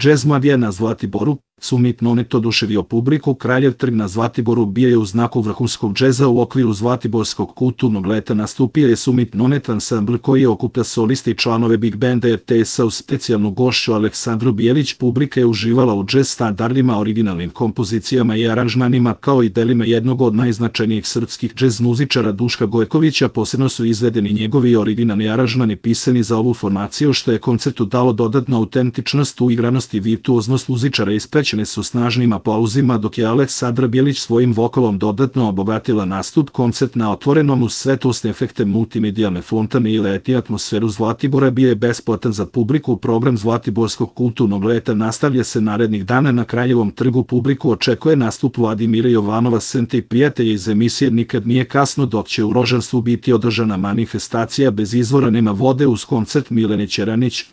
Džez Mladija na Zlatiboru, Summit Nonet oduševio publiku. Kraljev trg na Zlatiboru bio je u znaku vrhunskog džeza. U okviru Zlatiborskog kulturnog leta nastupio je Summit Nonet ansambl koji okuplja soliste i članove Big Banda RTS-a uz specijalnu gošću Aleksandru Bijelić. Publika je uživala u džez standardima, originalnim kompozicijama i aranžmanima, kao i delima jednog od najznačajnijih srpskih džez muzičara Duška Gojkovića. Posebno su izvedeni njegovi originalni aranžmani pisani za ovu formaciju, što je koncertu dalo dodatnu autentičnost, uigranost i virtuoznost muzičara ispraćene su snažnim aplauzima, dok je Aleksandra Bijelić svojim vokalom dodatno obogatila nastup. Koncert na otvorenom uz svetlosne efekte, multimedijalne fontane i leti atmosferu Zlatibora bio je besplatan za publiku. Program Zlatiborskog kulturnog leta nastavlja se narednih dana na Kraljevom trgu. Publiku očekuje nastup Vladimira Jovanova, Sente i prijatelja iz emisije Nikad nije kasno, dok će u Rožanstvu biti održana manifestacija Bez izvora nema vode uz koncert Milene Ćeranić.